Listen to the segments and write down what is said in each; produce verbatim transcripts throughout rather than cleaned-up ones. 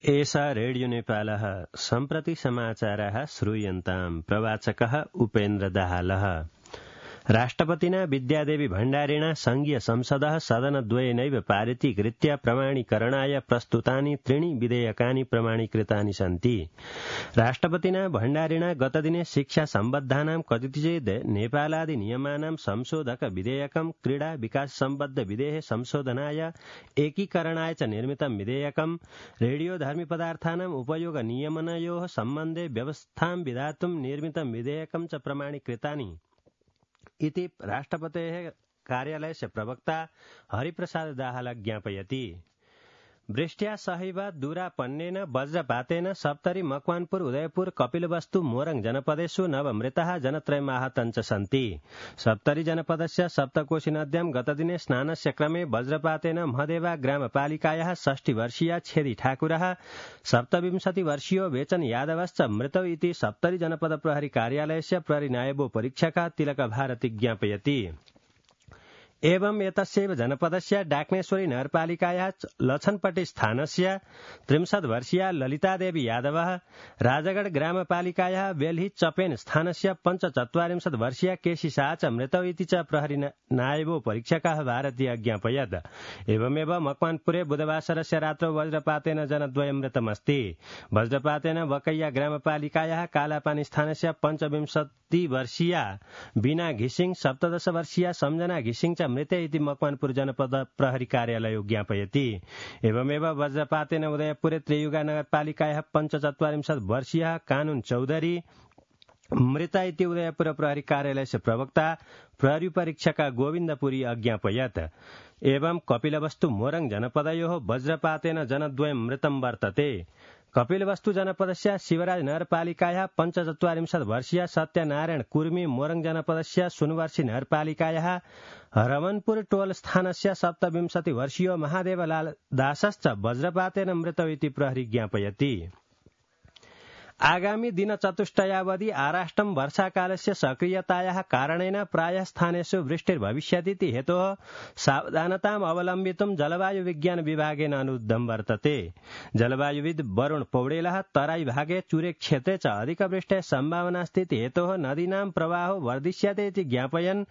एषा रेडियो नेपालः सम्प्रति समाचाराः श्रूयन्ताम्। प्रवाचकः उपेन्द्र दाहालः। राष्ट्रपतिना विद्यादेवी भण्डारिणा संघीय संसदः सदनद्वयेनैव पारितीकृत्य प्रमाणीकरणाय प्रस्तुतानि त्रीणि विधेयकानि प्रमाणीकृतानि सन्ति। राष्ट्रपतिना भण्डारिणा गतदिने शिक्षा सम्बद्धानां कतिचित् नेपालादि नियमानां संशोधक विधेयकं क्रीडा विकास सम्बद्ध विधेय संशोधनाय एकीकरणाय च निर्मितं विधेयकं रेडियोधर्मी पदार्थानां उपयोग नियमनयोः सम्बन्धे व्यवस्थां विधातुं निर्मितं विधेयकं च प्रमाणीकृतानि इति राष्ट्रपतेः कार्यालयस्य प्रवक्ता हरिप्रसाद दाहाल ज्ञापयति। वृष्ट्या सहैव दूरापन्नेन वज्रपातेन सप्तरी मकवानपुर उदयपुर कपिलवस्तु मोरङ जनपदेषु नवमृताः जनत्रयम् आहताः च सन्ति। सप्तरी जनपदस्य सप्तकोशी नद्यां गतदिने स्नानस्य क्रमे वज्रपातेन महदेवा ग्रामपालिकायाः षष्टिवर्षीया छेदी ठाकुरः सप्तविंशतिवर्षीयो वेचन यादवश्च मृतौ इति सप्तरी जनपद प्रहरी कार्यालयस्य प्रहरी नायबोपरीक्षकः तिलक भारती ज्ञापयति। एवं एतस्यैव जनपदस्य डाक्नेश्वरी नगरपालिकायाः लछनपट्टी स्थानस्य त्रिंशत् वर्षीया ललितादेवी यादवः राजगढ ग्रामपालिकायाः बेल्ही चपेन स्थानस्य पञ्चचत्वारिंशत् वर्षीया केशी शाह च मृतौ इति च प्रहरी नायबो परीक्षकः भारती अज्ञापयत्। एवमेव मकवानपुरे बुधवासरस्य रात्रौ वज्रपातेन जनद्वयं मृतमस्ति। वज्रपातेन वकैया ग्रामपालिकायाः कालापानी स्थानस्य पञ्चविंशति वर्षीया बीना घिसिङ सप्तदश वर्षीया सम्झना घिसिङ च मृते इति मकवानपुर जनपद प्रहरी कार्यालय ज्ञापयति। एवमेव वज्रपातेन उदयपुरे त्रियुगा नगरपालिकायाः पञ्चचत्वारिंशत् वर्षीयः कानून चौधरी मृता इति उदयपुर प्रहरी कार्यालयस्य प्रवक्ता प्रहरी परीक्षक गोविन्दपुरी अज्ञापयत्। एवं कपिलवस्तु मोरङ जनपदयोः वज्रपातेन जनद्वयं मृतं वर्तते। कपिलवस्तु जनपदस्य शिवराज नगरपालिकायाः पञ्चचत्वारिंशत् वर्षीय सत्यनारायण कुर्मी मोरङ जनपदस्य सुनवर्षी नगरपालिकायाः रमनपुर टोल स्थानस्य सप्तविंशति वर्षीयो महादेवलाल दासश्च वज्रपातेन मृतौ इति प्रहरी ज्ञापयति। आगामी दिनचतुष्टयावधि आराष्टं वर्षाकालस्य सक्रियतायाः कारणेन प्रायः स्थानेषु वृष्टिर्भविष्यतीति हेतोः सावधानताम् अवलम्बितुं जलवायु विज्ञान विभागेन अनुरोधं वर्तते। जलवायुविद वरुण पौडेलः तराई भागे चुरे क्षेत्रे च अधिकवृष्टेः सम्भावनास्ति इति हेतोः नदीनां प्रवाहो वर्धिष्यते इति ज्ञापयन्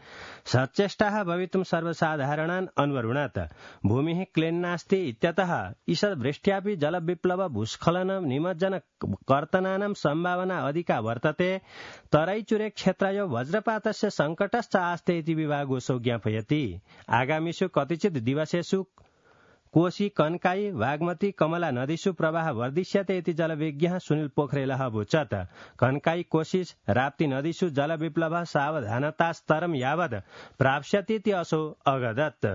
सचेष्टाः भवितुं सर्वसाधारणान् अन्वरुणत्। भूमिः क्लीन् नास्ति इत्यतः ईषद् वृष्ट्यापि जलविप्लव भूस्खलन निमज्जन कर्तना सम्भावना अधिका वर्तते। तराईचुरे क्षेत्रयो वज्रपातस्य संकटश्च आस्ते इति विभागोऽसौ ज्ञापयति। आगामीषु कतिचित् दिवसेषु कोशी कनकाई बागमती कमला नदीषु प्रवाह वर्धिष्यते इति जलविज्ञः सुनील पोखरेलः अवोचत्। कनकाई कोशी राप्ती नदीषु जलविप्लवः सावधानतास्तरं यावत् प्राप्स्यतीति असौ अगदत्।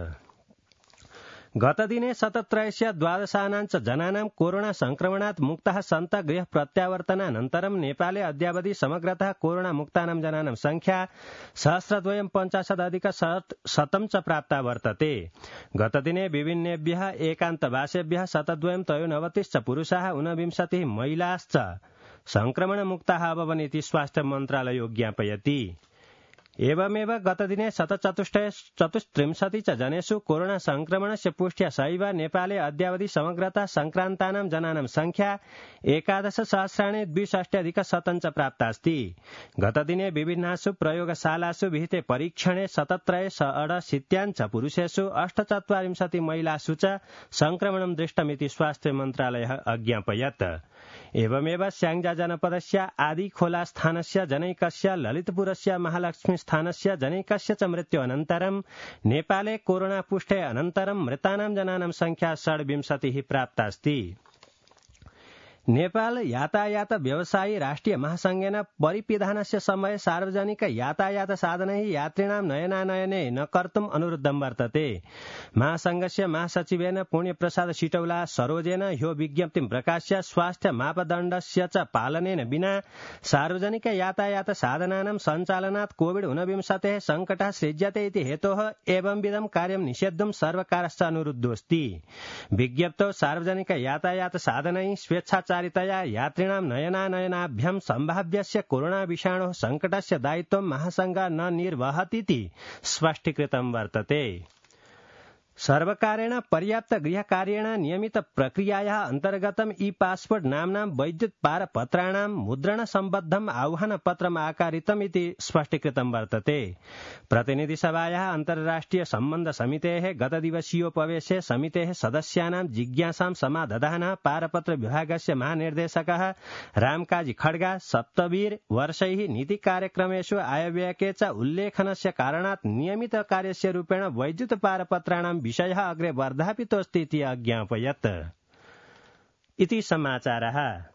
गतदिने शतत्रयस्य द्वादशानां च जनानां कोरोना संक्रमणात् मुक्ताः सन्तः गृह प्रत्यावर्तनानन्तरं नेपाले अद्यावधि समग्रतः कोरोना मुक्तानां जनानां संख्या सहस्रद्वयं पञ्चाशदधिक शतं च प्राप्ता वर्तते। गतदिने विभिन्नेभ्यः एकान्तवासेभ्यः शतद्वयं त्रयोनवतिश्च पुरुषाः ऊनविंशतिः महिलाश्च संक्रमणमुक्ताः अभवन् इति स्वास्थ्य मन्त्रालयो ज्ञापयति। एवमेव गतदिने शतचतुष्टय चतुस्त्रिंशति च जनेषु कोरोना संक्रमणस्य पुष्ट्या सहैव नेपाले अद्यावधि समग्रतः संक्रान्तानां जनानां संख्या एकादश सहस्राणि द्विषष्ट्यधिक शतं च प्राप्तास्ति। गतदिने विभिन्नासु प्रयोगशालासु विहिते परीक्षणे शतत्रय षडशीत्यां पुरुषेषु अष्टचत्वारिंशति महिलासु च संक्रमणं दृष्टमिति स्वास्थ्य मन्त्रालयः अज्ञापयत्। एवमेव स्याङ्जा जनपदस्य आदिखोला स्थानस्य जनैकस्य ललितपुरस्य महालक्ष्मी स्थानस्य जनैकस्य च मृत्यु अनन्तरं नेपाले कोरोना पुष्टे अनन्तरं मृतानां जनानां संख्या षड्विंशतिः प्राप्तास्ति। नेपाल यातायात व्यवसायी राष्ट्रिय महासंघेन परिपिधानस्य समये सार्वजनिक यातायात साधनैः यात्रिणां नयनानयने न कर्तुम् अनुरोधं वर्तते। महासंघस्य महासचिवेन पुण्यप्रसाद सिटौला सरोजेन ह्यो विज्ञप्तिं प्रकाश्य स्वास्थ्य मापदण्डस्य च पालनेन विना सार्वजनिक यातायात साधनानां सञ्चालनात् कोविड ऊनविंशतेः सङ्कटः सृज्यते इति हेतोः एवंविधं कार्यं निषेद्धुं सर्वकारश्च अनुरुद्धोऽस्ति। विज्ञप्तौ सार्वजनिक यातायात साधनैः स्वेच्छा चारितया यात्रिणां नयनानयनाभ्यां सम्भाव्यस्य कोरोना विषाणोः संकटस्य दायित्वं महासंघ न निर्वहतीति स्पष्टीकृतं वर्तते। सर्वकारेण पर्याप्त गृहकार्येण नियमित प्रक्रियायाः अन्तर्गतम् ई पासपोर्ट नाम्नां वैद्युत पारपत्राणां मुद्रणसम्बद्धम् आह्वानपत्रम् आकारितम् इति स्पष्टीकृतं वर्तते। प्रतिनिधिसभायाः अन्तर्राष्ट्रिय सम्बन्ध समितेः गतदिवसीयोपवेशे समितेः सदस्यानां जिज्ञासां समादधानः पारपत्र विभागस्य महानिर्देशकः रामकाजी खड्गा सप्तवीर वर्षैः नीतिकार्यक्रमेषु आयव्ययके च उल्लेखनस्य कारणात् नियमित कार्यस्य रूपेण वैद्युत पारपत्राणां विषयः अग्रे वर्धापितोऽस्ति इति अज्ञापयत्। इति समाचारः।